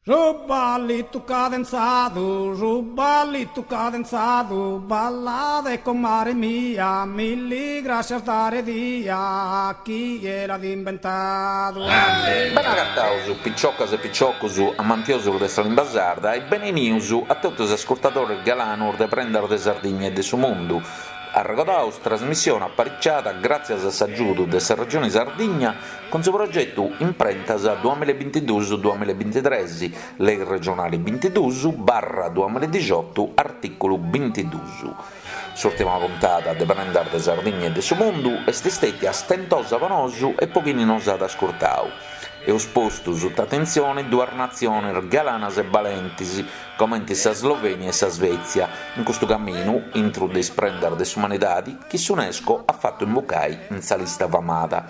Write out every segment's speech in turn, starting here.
Su ballitu cadenzadu, su ballitu cadenzadu, ballade comare mia, milli grascias dare dia, chie l'at imbentadu. Bene agataus, piciocas e piciocus amantiosus de sa limba sarda e benenius a totu is ascurtadores galanus de Prendas de Sardigna e de su Mundu. Arregodaus trasmissione apariciada gràtzias a s'agiudu de sa Regioni Sardigna cun su progetu Imprentas duamillabintiduus duamillabintitres, Lei regionali bintiduus barra duamilladixotu artìculu bintiduus. S'ùrtima puntada de Prendas de Sardigna e de su Mundu est stètia stentosa po nosu e po chini nos at ascurtau. Eus postu suta atentzione duas natziones galanas e balentis, comenti sa Slovenia e sa Svezia, in custu caminu intru de is prendas de s'umanidadi chi s'Unesco at fatu imbucai in sa lista famada.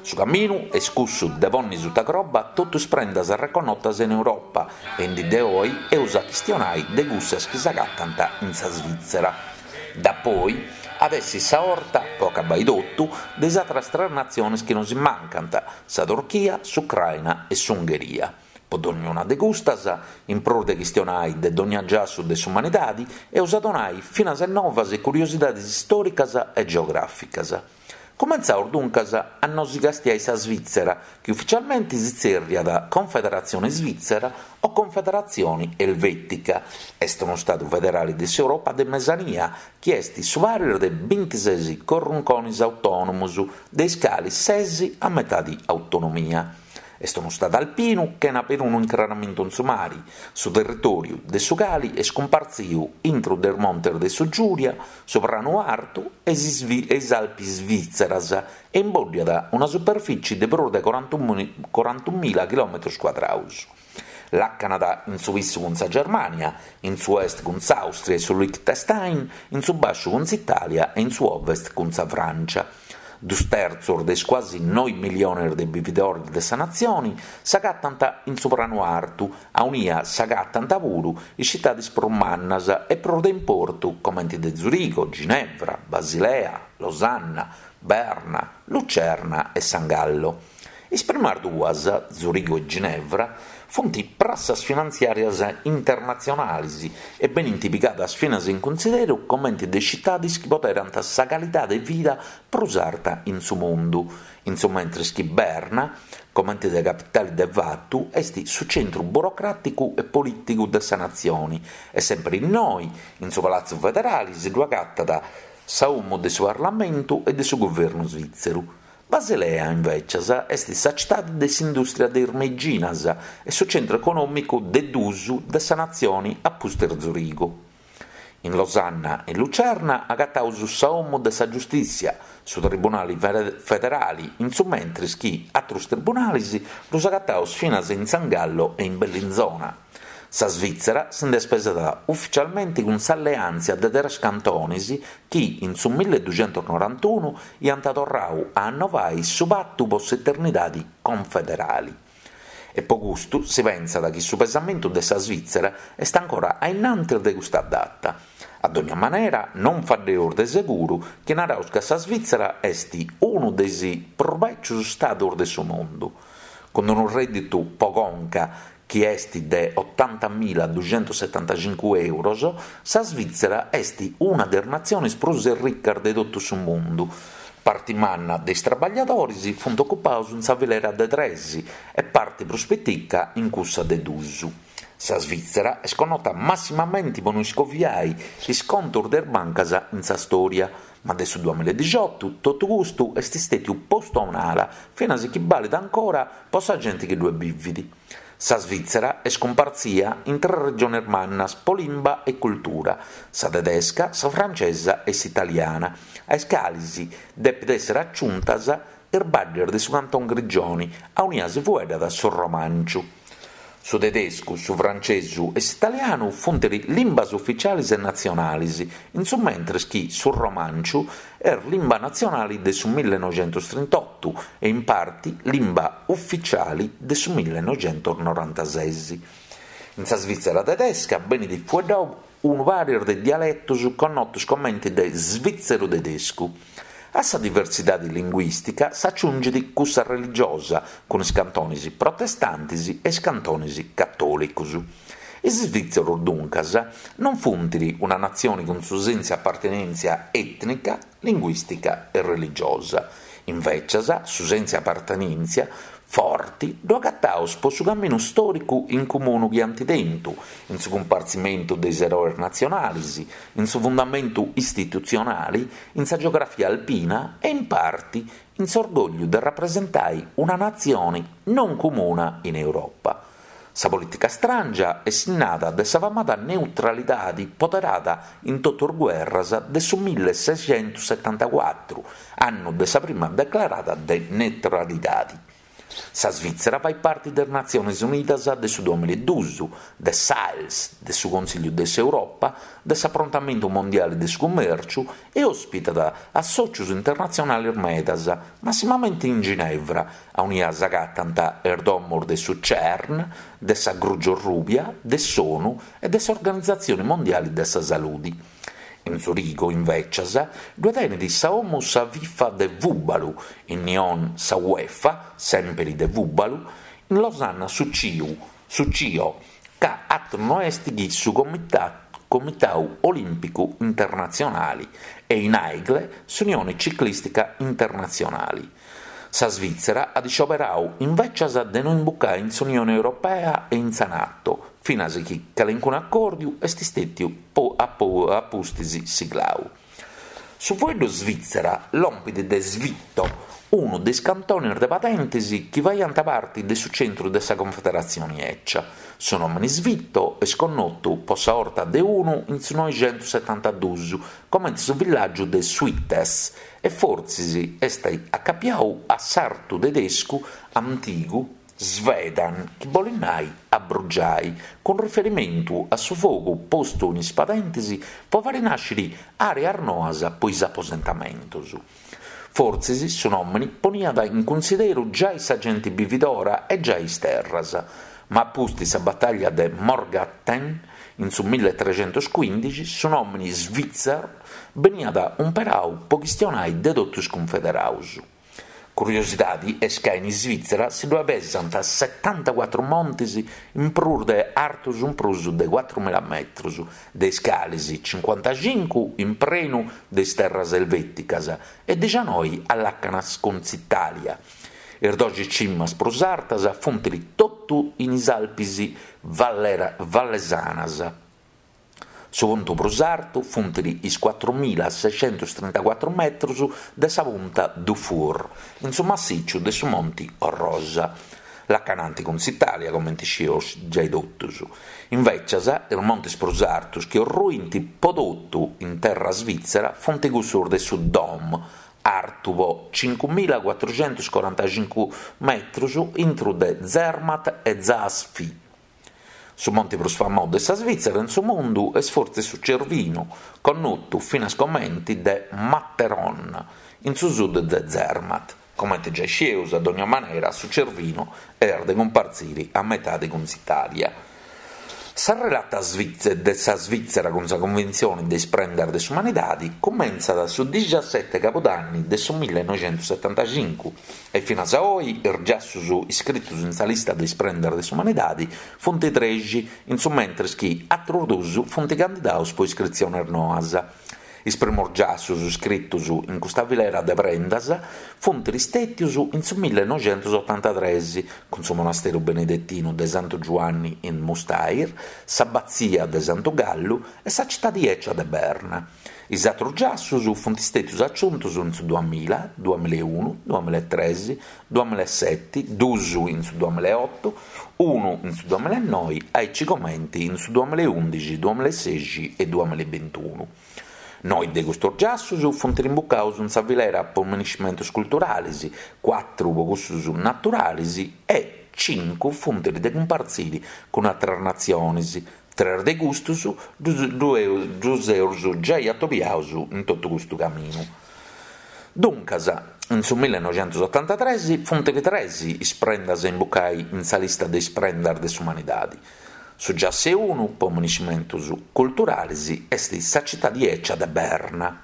Su caminu est cussu de ponni suta croba totu is prendas arreconnotas in Europa e in dì de oi eus a chistionai de cussas chi s'agatant in sa Svizzera. Dapoi at essi sa 'orta, po acabai totu, de is atras tres natziones chi nosi mancant, sa Turchia, s'Ucraina e s'Ungheria. Po dognuna de custas, in prus de chistionai de dogna giassu de s'umanidadi, eus a donai finas novas e curiosidadis istòricas e geogràficas. Cumentzaus duncas a nosi castiai sa Svizzera, chi ufficialmenti si tzerriat Confederatzione Svizzera o Confederatzioni Elvetica. Est unu stadu federali de s'Europa de Mesania, chi est su paris de bintises corrunconis autònomus, de is calis ses a metadi autonomia. Est unu stadu alpinu chena perunu incraramentu in su mari, su territòriu de su cali est cumpartziu intru de is montes de su Giura, su Pranu Artu e is Alpis Svìtzeras e imbòddiat una superfìtzie de prus de corantunmila chilòmetrus cuadraus. Làcanat in su pissu cun sa Germània, in su est cun s'Àustria e su Liechtenstein, in su bàsciu cun s'Itàlia e in su ovest cun sa Frància. Dus tertzos de is cuasi noi milliones de bividores de sa natzione s'agatant in su Pranu Artu, aunia s'agatant puru is citades prus mannas e prus de importu comente de Zurigo, Ginevra, Basilea, Losanna, Berna, Lucerna e San Gallo. Is primas duas, Zurigo e Ginevra, funt prassas finantziàrias internatzionalis e benint pigadas finas in cunsideru comente de citades chi poderant sa calidade 'e vida prus arta in su mundu, in su mentres chi Berna, comente de capitale de fatu, est su centru burocràticu e polìticu de sa natzione e semper innoi, in su Palatzu Federale, si ddu agatat sa 'omu de su Parlamentu e de su Guvernu svìtzeru. Basilea, invècias, est sa citade de s'indùstria de is meiginas e su centru econòmicu de dus de sa natzione a pustis Zurigo. In Losanna e Lucerna agataus sa 'omu de sa giustìssia, su Tribunali Federali, in su mentris chi atrus tribunales ddus agataus finas in San Gallo e in Bellinzona. Sa Svìtzera si nd'est pesada uficialmenti cun s'alleàntzia de tres cantones chi in su milleduxentusnorantunu iant torrau a annovai su patu po s'eternidadi confederali. E po custu si pentzat chi su pesamentu de sa Svìtzera est ancora a innantis de custa data. A dogna manera non faddeus de seguru chi naraus ca sa Svìtzera est unu de is prus bècius stadus de su mundu, cun unu rèdditu po conca chi est de otantamila duxentussetantacincu euros, sa Svìtzera est una de is natziones prus erricas de totu su mundu. Parti manna de is traballadores funt ocupados in sa filera de tres e parti prus pitica in cussa de dus. Sa Svìtzera est connota massimamenti po no iscoviai is contos de is bancas in sa stòria, Ma de su duamiladixotu totu custu est stètiu postu a un'ala, finas chi balit ancora po sa genti chi ddue bivit. Sa Svìtzera est cumpartzia in tres regiones mannas po limba e cultura, sa tedesca, sa francesa e s'italiana, a is calis depit èssere aciuntas is baddes de su Canton Grigioni, aunia si fueddat su romànciu. Su tedescu, su francesu e s'italianu funt limbas uficiales e natzionales, in su mentres chi su romànciu est limba natzionale de su millenoixentustrintotu e in parti limba uficiale de su millenoixentusnorantases. In sa Svìtzera tedesca benit fueddadu unu paris de dialetos connotos comente de svìtzeru tedescu. A sa diversidadi linguìstica s'aciungit cussa religiosa, cun is cantonis protestantis e is cantonis catòlicus. Is isvìtzeros, duncas, non funt una natzione cun su sensu 'e apartenèntzia ètnica, linguìstica e religiosa. Invècias, su sensu 'e apartenèntzia forti ddu agataus po su caminu stòricu in comunu chi ant tentu, in su cumpartzimentu de is eroes natzionalis, in su fundamentu istitutzionali, in sa geografia alpina e in parti in s'orgògliu de rapresentai una natzione non comuna in Europa. Sa polìtica stràngia est sinnada de sa famada neutralidadi poderada in totu is guerras de su millesexentussetantacuatru, annu de sa prima declarada de neutralidadi. Sa Svìtzera fait parti de is Natziones Unidas de su duamilla e dus, de s'AELS, de su Consìlliu de s'Europa, de s'Aprontamentu Mondiali de su Cummèrciu e òspitat assòtzius internatzionalis medas, massimamenti in Ginevra, aunia s'agatant is domos de su CERN, de sa Grugi Orrubia, de s'ONU e de s'Organizatzioni Mondiali de sa Saludi. In Zurigo, invècias, ddue tenit sa 'omu sa FIFA de fùbalu, in Nyon sa UEFA, sèmpiri de fùbalu, in Losanna su CIU, su CIO, ca atru no est chi su Comitau Olìmpicu Internatzionali, e in Aigle s'Unioni Ciclìstica Internatzionali. Sa Svìtzera at iscioberau invècias de no imbucai in s'Unioni Europea e in sa Nato, finas chi calencunu acòrdiu est stètiu a pustis siglau. Su fueddu Svìtzera lompit de Svitto, unu de is cantonis de padentis chi faiant parti de su centru de sa Confederatzioni 'Ecia. Su nòmini Svitto est connotu po sa 'orta de unu in su noixentussetantaduus comente su villàgiu de Suites e fortzis est acapiau a s'artu tedescu antigu Svedan chi bolit nai abrugiai, cun riferimentu a su fogu postu in is padentis po fari nàsciri àreas noas po is aposentamentus. Fortzis su nòmini poniat in cunsideru giai sa genti bividora e giai is terras, ma a pustis sa batalla de Morgarten in su milletrecentuscuindixi su nòmini Svìtzer beniat umperau po chistionai de totu is cunfederaus. Curiosidadi est ca in Isvìtzera si ddue pesant setantacuatru montis in prus de artus in prus de cuatrumila metrus, de is calis cincuantacincu in prenu de is terras elvèticas e dixanoi a làcanas cun s'Itàlia. Is doxi cimas prus artas funt totu in is Alpis Vallesanas. Su puntu prus artu funt is cuatrumilasexentustrentacuatru metrus de sa punta Dufour, in su massìciu de su Monti Orrosa, lacananti cun s'Itàlia, comenti scieus giai totus. Invècias, is montis prus artus chi orruint po totu in terra svìtzera funt cussus de su Dom, artu po cincumilacuatruxentuscorantacincu metrus intru de Zermatt e Saas-Fee. Su monti prus famau de sa Svìtzera in su mundu est fortzis su Cervino, connotu finas comenti de Matterhorn, in su sud de Zermatt. Comente giai scieus, a dogna manera, su Cervino est de cumpartziri a metadi cun s'Itàlia. Sa relata de sa Svìtzera cun sa Conventzioni de is Prendas de s'Umanidadi cumentzat su dixaseti cabudanni de su millenoixentussetantacincu e finas a oi is giassus iscritus in sa lista de is prendas de s'umanidadi funt trexi, in su mentris chi atrus dus funt candidaus po iscritzionis noas. Is primus giassus iscritus in custa filera de prendas funt stètius in su millenoixentusotantatres, cun su monasteru benedetinu de Santu Giuanni in Müstair, s'abatzia de Santu Gallu e sa citadi 'ecia de Berna. Is atrus giassus funt stètius aciuntus in su duamilla, duamillaeunu, duamillaetres, duamillaeseti, dus in su duamillaeotu, unu in su duamillaenoi, aici comenti in su duamillaeundixi, duamillaesexi e duamillabintunu. Noi de custus giassus funt rimbucaus in sa filera po miniscimentus culturalis, cuatru po cussus naturalis e cincu funt de cumpartziri cun atras natzionis, Tres de custus ddus eus giai atobiaus in totu custu caminu. Duncas, in su millenoixentusotantatres funt tres is prendas a imbucai in sa lista de is prendas de s'umanidadi. Su giassu 'e unu, po miniscimentus culturalis, est sa citadi 'ecia de Berna.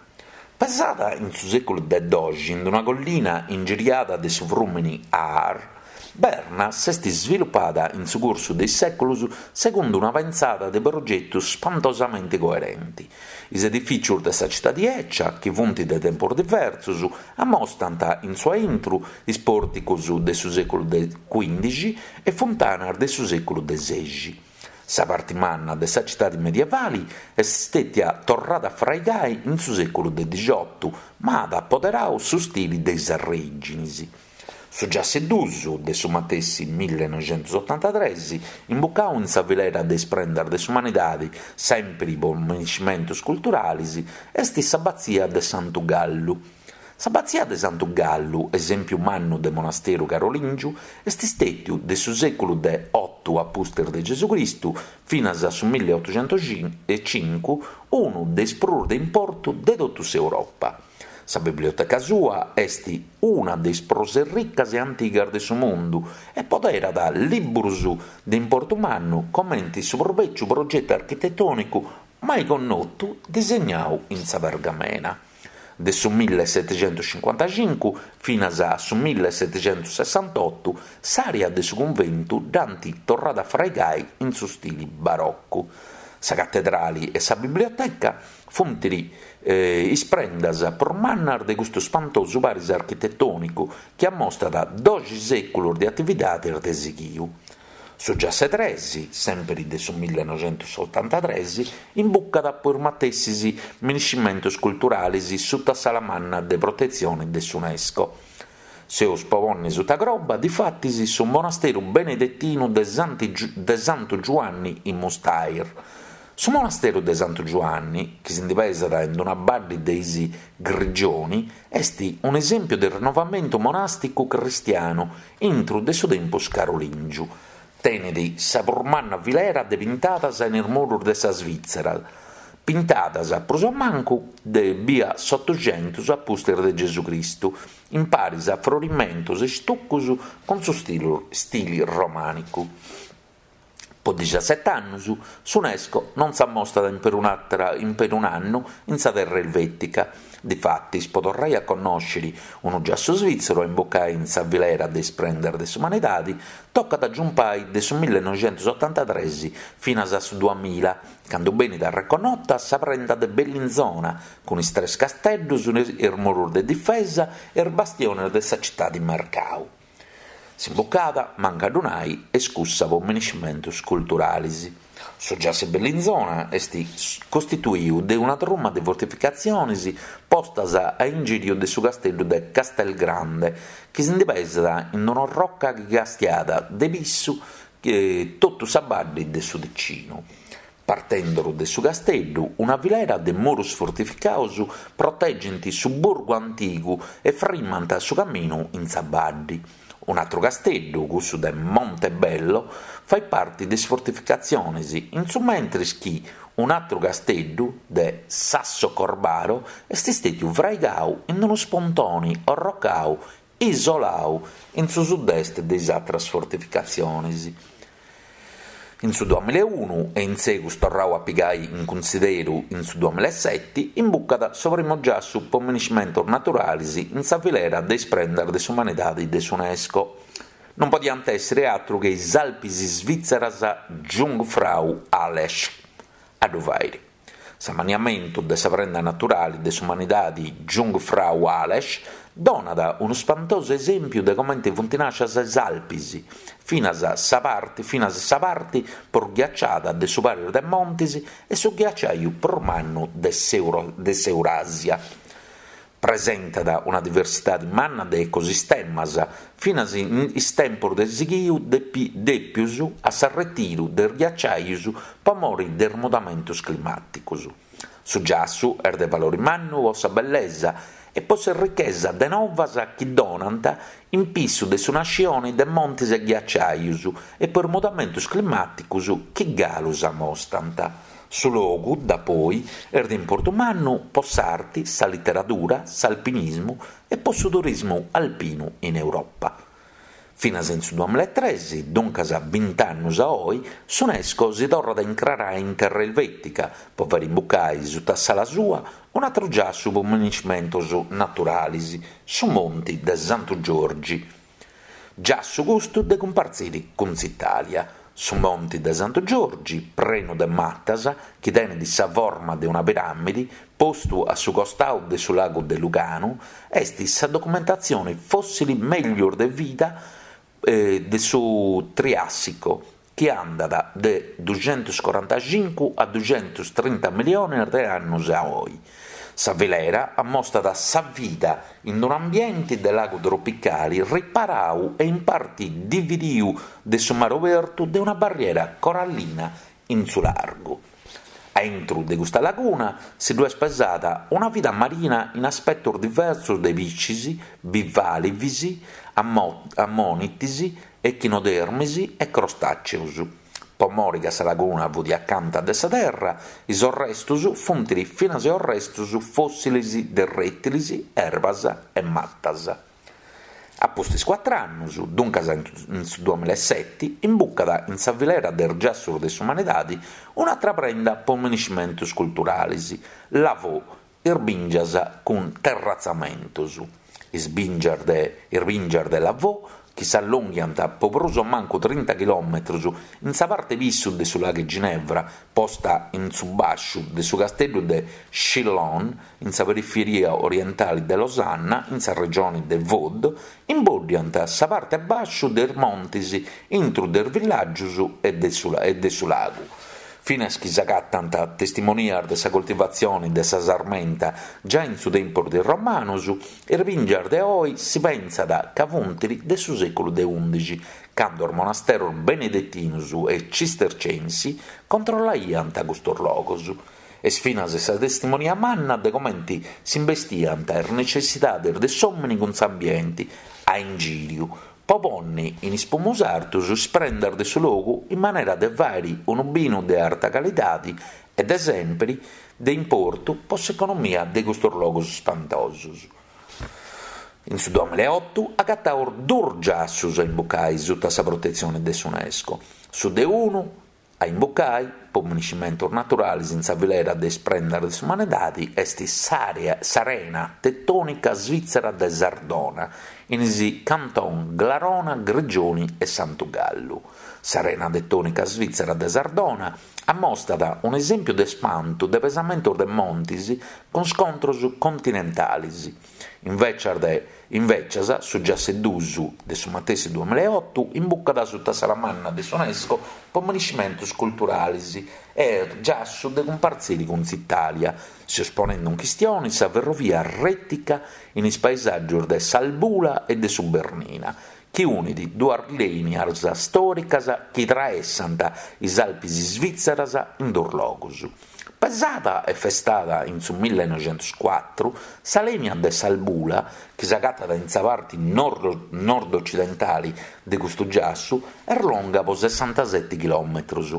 Pesada in su sèculu de doxi in una collina ingiriada de su frùmini Aar, Berna s'est svilupada in su cursu de is sèculus segundu una pensada de progetu spantosamenti coerenti. Is edifìcius de sa citadi 'ècia, chi funt de tempus diversus, amostant in su aintru is pòrticus de su sèculu de cuìndixi e funtanas de su sèculu de sexi. Sa parti manna de sa citadi medievali est stètia torrada a fraigai in su sèculu de dixiotu, ma at apoderau su stili de is arrèginis. Su giassu dus de su matessi millenoixentusotantatres, imbucau in sa filera de is prendas de s'umanidadi, sèmpiri po miniscimentus culturalis, est s'abatzia de Santu Gallu. S'abatzia de Santu Gallu, esèmpiu mannu de monasteru carolìngiu, est stètiu de su sèculu de otu a pustis de Gesucristu finas a su milliotuxentuecincu unu de is prus de importu de totu s'Europa. Sa biblioteca sua est una de is prus ricas e antigas de su mundu e poderat liburus de importu mannu comenti su prus bèciu progetu architetònicu mai connotu disegnau in sa pergamena. De su millesetixentuscincuantacincu finas a su millesetixentussessantotu s'àrea de su cunventu dd'ant torrada a fraigai in su stili baroccu. Sa catedrali e sa biblioteca funt is prendas prus mannas de custu spantosu paris architetònicu chi ammostat doxi sèculus de atividades de sighiu. Su giassu tres, sèmpiri de su millenoixentusotantatres, imbucat po is matessis miniscimentus culturalis suta s'ala manna de protetzione de s'Unesco. Seus po ponni suta croba, difatis, su monasteru benedetinu de Santu Giuanni in Müstair. Su monasteru de Santu Giuanni, chi si ndi pesat in una baddi de is Grigioni, est un'esèmpiu de rinnovamentu monàsticu cristianu intru de su tempus carolìngiu. Tenet sa prus manna filera de pintadas in is murus de sa Svìtzera, pintadas prus o mancu de bia s'Otuxentus a pustis de Gesucristu, in paris a frorimentos e stucus cun su stili romànicu. Po dixasset'annus s'Unesco non s'ammostat in perun'àtera in perun'annu in sa terra elvètica. Difatis, po torrai a connòsciri unu giassu svìtzeru a imbucai in sa filera de is prendas de s'umanidadi, tocat a giumpai de su millenoixentusotantatres finas a su duamilla, candu benit arreconnota sa prenda de Bellinzona, cun is tres casteddus, is murus de difesa e is bastiones de sa citadi mercau. S'imbucada, mancu a ddu nai, est cussa po miniscimentus culturalis. Su giassu 'e Bellinzona est costituiu de una truma de fortificatzionis postas a ingìriu de su casteddu de Castelgrande, chi si ndi pesat in un'orroca chi castiat de pissu totu sa baddi de su Ticinu. Partenduru de su casteddu, una filera de murus fortificaus protegint su burgu antigu e frimant su caminu in sa baddi. Un'atru casteddu, cussu de Montebello, fait parti de is fortificatzionis, in su mentris chi un'atru casteddu, de Sasso Corbaro, est stètiu fraigau in unu spontoni orrocau isolau in su sud-est de is atras fortificatzionis. In su duamilaeunu e in segus torrau a pigai in cunsideru in su duamilaeseti, imbucat su primu giassu po miniscimentus naturalis in sa filera de is prendas de s'umanidadi de s'Unesco. Non podiant èssiri atru che is Alpis Svìtzeras Jungfrau-Aletsch a ddu fàiri. S'amanniamentu de sa prenda naturali de s'umanidadi Jungfrau-Aletsch donat unu spantosu esèmpiu de comente funt nàscias is Alpis, finas sa parti finas sa parti prus ghiaciada de su paris de montis e su ghiaciaju prus mannu de s'Euràsia. Presentat una diversidadi manna de ecosistemas, finas in is tempus de sighiu dèpius a s'arretiru de is ghiaciajus po mori de is mudamentus climàticus. Su giassu est de valori mannu po sa bellesa e po s'errichesa de novas chi donant in pissu de su nascioni de montis e ghiaciajus e po is mudamentus climàticus chi galu s'amostant. Su logu, dapoi, est de importu mannu po s'arti, sa literadura, s'alpinismu e po su turismu alpinu in Europa. Finas in su duamillaetres, duncas bint'annus a oi, s'Unesco si torrat a incrarai in terra elvètica po fàiri imbucai suta s'ala sua un'atru giassu po miniscimentus naturalis, su Monti de Santu Giorgi. Giassu custu de cumpartziri cun s'Itàlia. Su Monti de Santu Giorgi, prenu de matas, chi tenit sa forma de una piràmidi, postu a su costau de su lagu de Luganu, est sa documentatzioni fòssili mellus de vida de su Triàssico, chi andat de duxentuscorantacincu a duxentustrinta millionis de annus a oi. Sa filera ammostat sa vida in un'ambienti de lagu tropicali riparau e in parti dividiu de su mari obertu de una barriera corallina in su largu. A intru de custa laguna si ddu est pesada una vida marina in aspetus diversus de piscis, bivàlvis, ammonitis, echinodermis e crostàceus. Po mori ca sa laguna fut acanta de sa terra, is orrestus funt finas orrestus fòssilis de rètilis, erbas e matas. A pustis cuatr'annus, duncas in su duamillaeseti, imbucat in sa filera de is giassus de s'umanidadi un'atra prenda po miniscimentus culturalis, Lavaux, is bìngias cun terratzamentus. Is bìngias de is bìngias de Lavaux, chi s'allonghiant po prus o mancu trinta chilòmetrus in sa parte pissu de su lagu 'e Ginevra, posta in su bàsciu de su casteddu de Chillon, in sa periferia orientali de Losanna, in sa regioni de Vaud, imboddiant sa parte bàsciu de is montis intru de is villàgius e de su lagu. Finas chi s'agatant testimonias de sa coltivatzioni de sa sarmenta giai in su tempus de is Romanus, is bìngias de oi si pentzat ca funt de su sèculu de ùndixi, cando is monasteros benedetinus e cistercensi controllaiant custos logos. Est finas sa testimonia manna de comenti s'imbestiant is necessidades de s'òmini cun s'ambienti a ingìriu, po ponni in is pumus artus is prendas de su logu in manera de fàiri unu binu de arta calidadi e de sèmpiri de importu po s'economia de custos logus spantosus. In su duamillaeotu agataus duus giassus a imbucai suta sa protetzioni de s'Unesco, su de unu A imbucai, po miniscimentus naturalis in sa filera de is prendas de s'umanidadi est s'arena tetònica svitzera de Sardona, in is canton Glarona, Grigioni e Santu Gallu. S'arena tetònica svitzera de Sardona ammostat un'esèmpiu de spantu de pesamentus de montis cun scontros continentalis. Invècias de Invècias, su giassu 'e dus de su matessi duamillaeotu imbucat suta s'ala manna de s'Unesco po miniscimentus culturalis e est giassu de cumpartziri cun s'Itàlia, seus ponendu in chistioni sa ferrovia rètica in is paesàgius de s'Albula e de su Bernina, chi unit duas lìnias stòricas chi traessant is Alpis svìtzeras in duus logus. Pesada e festada in su millenoixentuscuatru, sa lìnia de s'Albula, chi s'agatat in sa parti nord-ocidentali de custu giassu, est longa po sessantaseti chilòmetrus.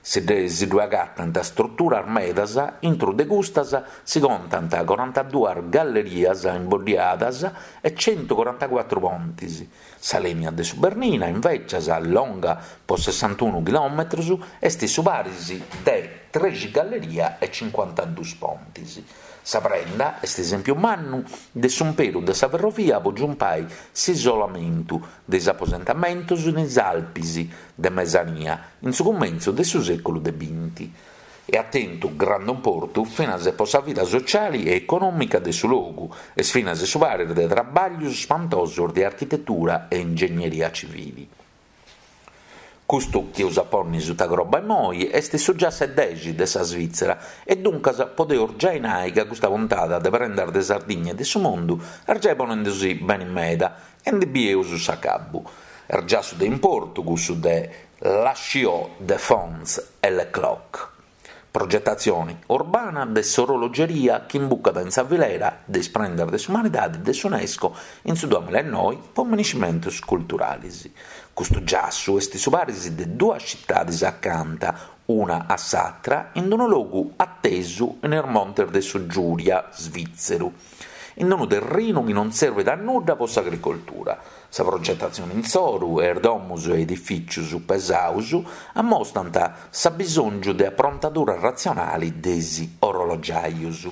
Si ddue agatant struturas medas, intru de custas si contant corantaduas gallerias imboddiadas e centucorantacuatru pontis. Sa lìnia de su Bernina, invècias, longa po sessantunu chilòmetrus, est su paris de trexi galleria e cincuantadus pontis. Sa prenda est esèmpiu mannu de s'umperu de sa ferrovia po giumpai s'isolamentu de is aposentamentus in is Alpis de Mesania in su cumentzu de su sèculu de binti. E at tentu grandu importu finas po sa vida sociali e econòmica de su logu, est finas su paris de trabàllius spantosus de architetura e ingegneria civili. Custu chi eus a ponni suta croba immoi est su giassu 'e dexi de sa Svitzera e duncas podeus giai nai ca custa puntada de Prendas de Sardigna e de su Mundu est giai ponendusì beni meda e ndi bieus s'acabbu. Est giassu de importu cussu de La Chaux de Fonds e Le Clock. Progetatzioni urbana de s'orologeria chi imbucat in sa filera de is prendas de s'umanidadi de s'Unesco in su duamillaenoi po miniscimentus culturalis. Custu giassu est su paris de duas citadis acanta una a s'atra in unu logu atesu in is montes de su Giuria svìtzeru, in unu terrinu chi non serbit a nudda po s'agricoltura. Sa progetatzioni insoru e is domus e edifìcius pesaus ammostant s'abbisòngiu de aprontadura ratzionali de is orologiajus.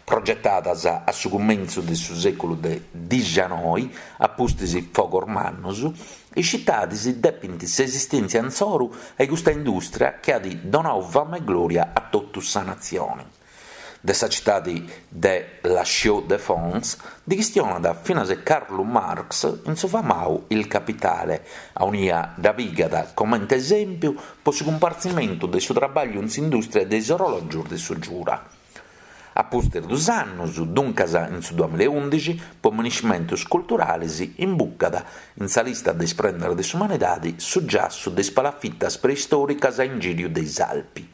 Progetadas a su cumentzu de su sèculu de dixianoi, a pustis fogos mannus, is citadis depint s'esistèntzia insoru a custa indùstria chi at donau fama e glòria a totu sa natzioni. De sa citadi de La Chaux-de-Fonds ndi chistionat finas Carlu Marx in su famau Il Capitale, aunia dda pigat comente esèmpiu po su cumpartzimentu de su trabagliu in s'indùstria de is orològios de su Giura. A pustis dus annus, duncas in su duamilla e undixi, po miniscimentus culturalis imbucat in sa lista de is prendas de s'umanidadi su giassu de is palafitas preistòricas a ingìriu de is Alpi.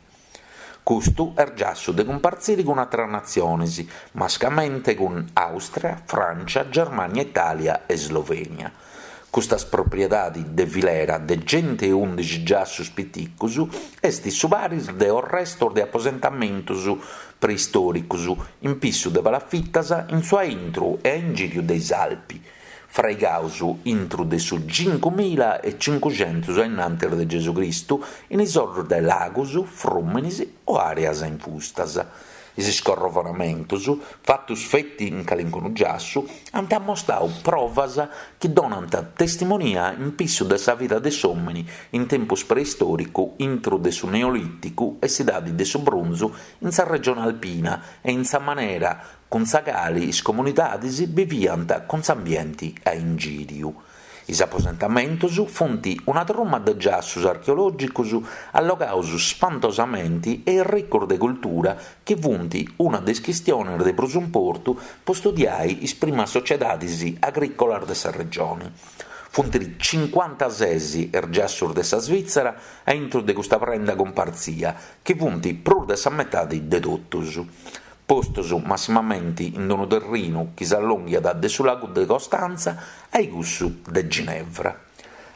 Custu est giassu de cumpartziri cun atras natziones, mascamente cun Àustria, Frància, Germània, Itàlia e Slovènia. Custas propriedade de filera de centeundixi giassos piticos est su paris de orrestos de aposentamentos preistòricos in pissu de palafitas in su aintru e a ingìriu de is Alpi. fraigaus intru de su cincumila e cincuxentus ainnantis de Gesù Cristu in is orrus de lagus, frùminis o àreas infustas. Is scorrovonamentus, fatus feti in calincunu giassu, ant ammostau provas chi donant testimonia in pissu de sa vida de s'òmini in tempus preistòricu intru de su Neolìticu e s'Idadi de su Brunzu in sa regione alpina e in sa manera cun sa cali is comunidadis biviant cun s'ambienti a ingìriu. Is aposentamentus funt una truma de giassus archeològicus allogaus spantosamenti e irricus de cultura chi funt una de is chistionis de prus importu po studiai is primas sociedadis agrìcolas de sa regioni. Funt cincuantases is giassus de sa Svìtzera a intru de custa prenda cumpartzia, chi funt prus de sa metadi de totus. postos massimamenti in unu terrinu chi s'allonghiat de su lagu de Costanza a cussu de Ginevra.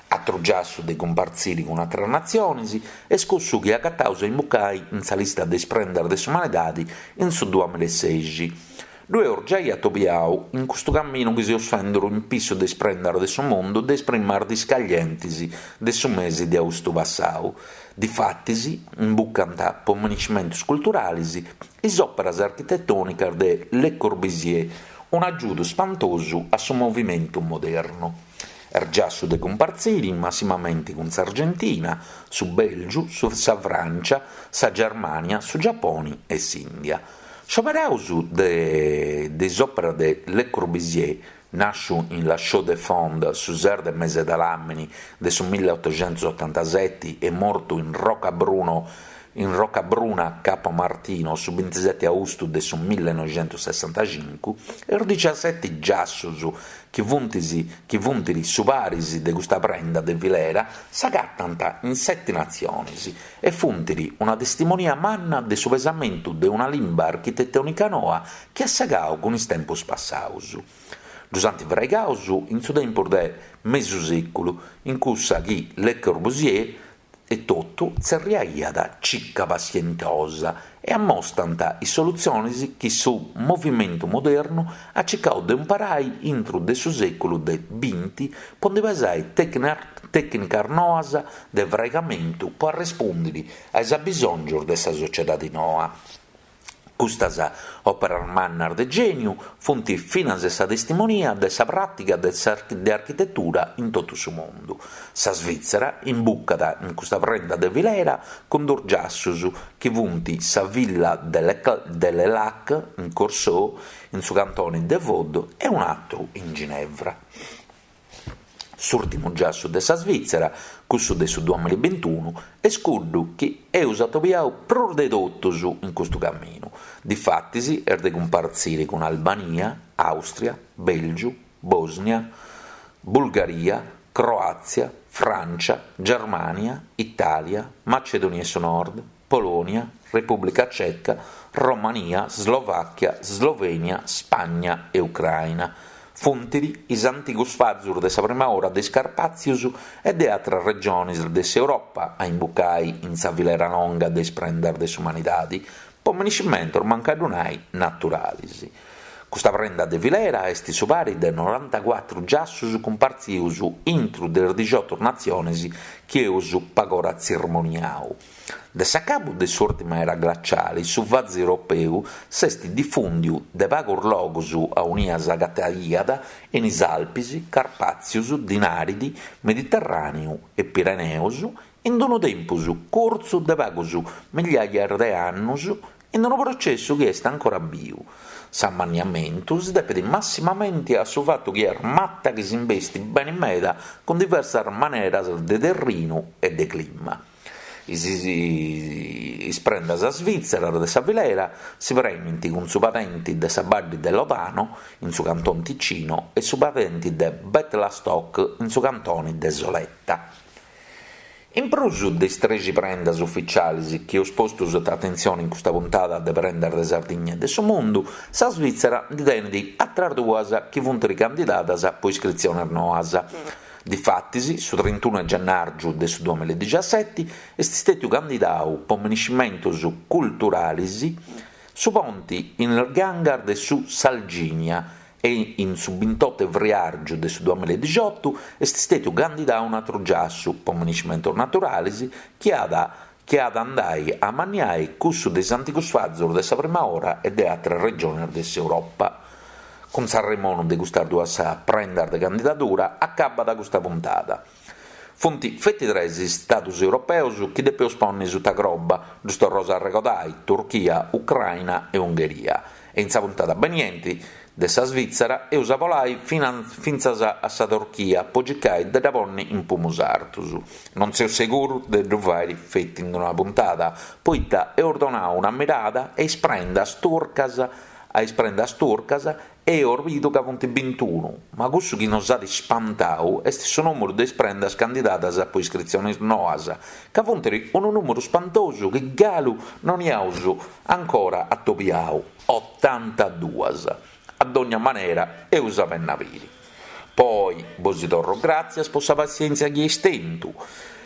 Atru giassu de cumpartziri cun atras natzionis est cussu chi agataus a imbucai in sa lista de is prendas de s'umanidadi in su duamilasexi. Ddu eus giai atobiau in custu caminu chi seus fenduru in pissu de is prendas de su mundu de is primas dis caglientis de su mesi de austu passau. Difatis, imbucant po miniscimentus culturalis is òperas architetònicas de Le Corbusier, un'agiudu spantosu a su movimentu modernu. Est giassu de cumpartziri massimamenti cun s'Argentina, su Bèlgiu, sa Frància, sa Germània, su Giaponi e s'Ìndia. Scioberaus de is òperas de Le Corbusier Nàsciu in La Chaux-de-Fonds su ses de mese de ladàmini de su milliottoxentosotantaseti e mortu in Roccabruno in Roccabruna Capo Martino su bintiseti austu de su millenoixentosessantacincu, is diciaseti giassus chi funt chi funt su paris de custa prenda de filera s'agatant in seti natziones e funt una testimonia manna de su pesamentu de una limba architetònica noa chi at segau cun is tempus passaus. Ddus ant fraigaus in su tempus de mesu sèculu, in cussa chi Le Corbusier etotu tzerriaiat cica passientosa e ammostant is solutziones chi su movimentu modernu at circau de umparai intru de su sèculu de binti po ndi pesai tècnicas noas de fraigamentu po arrespùndiri a is abbisòngios de sa sociedadi noa. Custas òperas mannas de gèniu funt finas sa testimonia de sa pràtiga de de architetura in totu su mundu. Sa Svìtzera imbucat in custa prenda de filera cun duos giassus chi funt sa Villa de Le Lac in Corseaux, in su cantone de Vaud, e un'atru in Ginevra. S'ùrtimu giassu de sa Svìtzera, cussu de su duamillabintunu, est cuddu chi eus atobiau prus de totus in custu caminu. Difatis est de cumpartzire cun Albania, Àustria, Bèlgiu, Bòsnia, Bulgaria, Croàtzia, Frància, Germània, Itàlia, Macedonia 'e su Nord, Polònia, Repùblica Ceca, Romania, Slovàchia, Slovènia, Spagna e Ucraina. Funt is antigus fazus de sa prima ora de is Carpàtzius e de atras regionis de s'Europa a imbucai in sa filera longa de is prendas de s'umanidadi, po miniscimentus mancu a ddu nai naturalis. Custa prenda de filera est su pari de norantacuatru giassus cumpartzius intru de is dixiotu natzionis chi eus pagora tzirmoniau. De s'acabu de s'ùrtima era glaciali su fazu europeu s'est difùndiu de pagus logus aunia s'agataiat in is Alpis, Carpàtzius, Dinàridi, Mediterràneu e Pireneus in unu tempus curtzu de pagus migliaias de annus in unu processu chi est ancora biu. S'ammanniamentu si depet massimamenti a su fatu chi est mata chi s'imbestit beni meda cun diversas maneras de terrinu e de clima. Is prendas svìtzeras de sa filera si prenint cun su padenti de sa Baddi de Lodano in su Canton Ticino e su padenti de Bettlastock in su Cantoni de Soletta. In prus de is trexi prendas uficialis chi eus postu suta atentzioni in custa puntada de Prendas de Sardigna e de su Mundu, sa Svìtzera ndi tenit atras duas chi funt ricandidadas po iscritzionis noas. Difatis, su trintunu 'e gennàrgiu de su duamilla e est stètiu candidau po miniscimentus culturalis su ponti in is gangas de su Salginia e in su bintotu 'e friàrgiu de su duamilla e dixiotu est stètiu candidau un'atru giassu po miniscimentus naturalis chi at chi at a andai a amanniai cussu de is antigus fazus de sa prima ora e de atras regionis de s'Europa. Cun s'arremonu de custas duas prendas de candidadura acabat custa puntada. Funt feti tres is stadus europeus chi depeus ponni suta croba, ddus torraus a arregodai, Turchia, Ucraina e Ungheria. E in sa puntada benienti de sa Svitzera eus a bolai fintzas a sa Turchia po circai de dda ponni in pumus artus. Non seu seguru de ddu fairi feti in una puntada, poita eus donau una mirada a is prendas turcas a is prendas turcas e eus bidu ca funt bintunu, ma cussu chi nos at ispantau est su nùmeru de is prendas candidadas po iscritzionis noas, ca funt unu nùmeru spantosu chi galu non iaus ancora atobiau, otantaduas. A dogna manera eus a benni a biri. Po oi bosi torro gràtzias po sa passièntzia chi eis tentu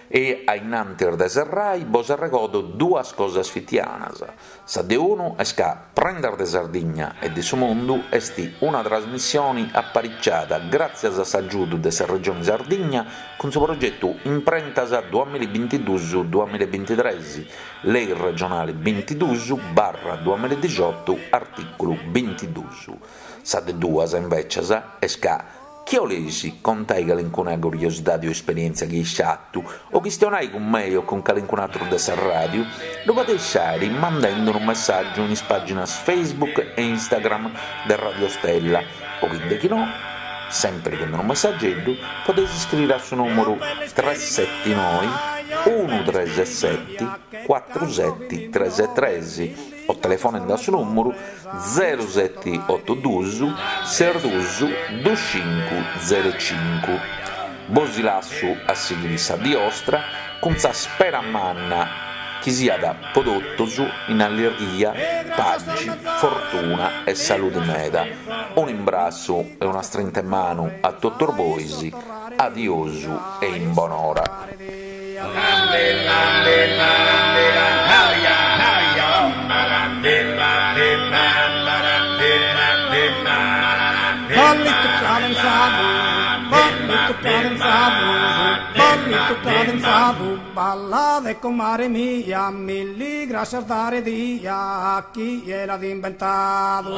e a innantis de serrai bos arregodo duas cosas fitianas. Sa de unu est ca Prendas de Sardigna e de su Mundu est una trasmissioni apariciada gràtzias a s'agiudu de sa Regioni Sardigna cun su progetu Imprentas duamillabintidus duamillabintitres, Lei regionali bintidus barra duamilladixotu artìculu bintidus. Sa de duas, invècias, est ca, chi 'oleis contai calincuna curiosidadi o esperièntzia chi eis fatu, o chistionai cun mei o cun calincun'atru de sa ràdiu, ddu podeis fàiri mandendi unu messàgiu in is pàginas Facebook e Instagram de Radio Stella o chi de chi no, sèmpiri cun unu messageddu, podeis iscriri a su nùmeru tresetinoi unu treseseti cuatru seti tresetres o telefonendi a su nùmeru zerusetiotuduus ses dus dus cincu zerucincu. Bosi lassu a sighiri sa dì 'ostra cun sa spera manna chi siat po totus in allirghia, paxi, fortuna e saludi meda. Un'imbrassu e una strinta 'e manu a totus bois, adiosu e in bonora. Ballitu cadenzadu, ballitu cadenzadu, ballitu cadenzadu, ballade comare mia, milli grascias dare dia, chie l'at imbentadu.